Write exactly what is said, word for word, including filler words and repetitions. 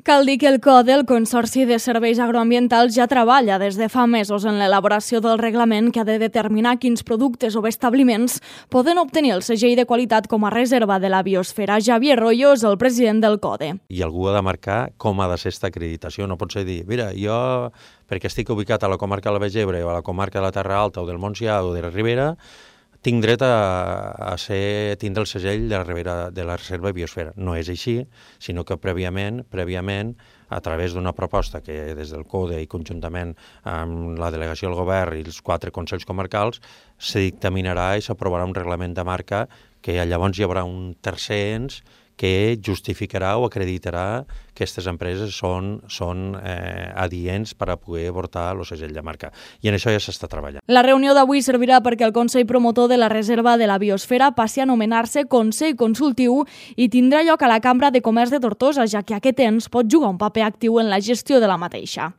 Cal dir que el CODE, el Consorci de Serveis Agroambientals, ja treballa des de fa mesos en l'elaboració del reglament que ha de determinar quins productes o establiments poden obtenir el segell de qualitat com a reserva de la biosfera. Javier Royo és el president del CODE. I algú ha de marcar com ha de ser aquesta acreditació. No pot ser dir, mira, jo, perquè estic ubicat a la comarca de la Baix Ebre o a la comarca de la Terra Alta o del Montsià o de la Ribera, tinc dret a, a ser, tindre el segell de la, Ribera, de la Reserva Biosfera. No és així, sinó que prèviament, prèviament a través d'una proposta que des del CODE i conjuntament amb la delegació del govern i els quatre consells comarcals se dictaminarà i s'aprovarà un reglament de marca que llavors hi haurà un tercer ens que justificarà o acreditarà que aquestes empreses són, són eh, adients per a poder portar el segell de marca. I en això ja s'està treballant. La reunió d'avui servirà perquè el Consell Promotor de la Reserva de la Biosfera passi a anomenar-se Consell Consultiu i tindrà lloc a la Cambra de Comerç de Tortosa, ja que aquest ens pot jugar un paper actiu en la gestió de la mateixa.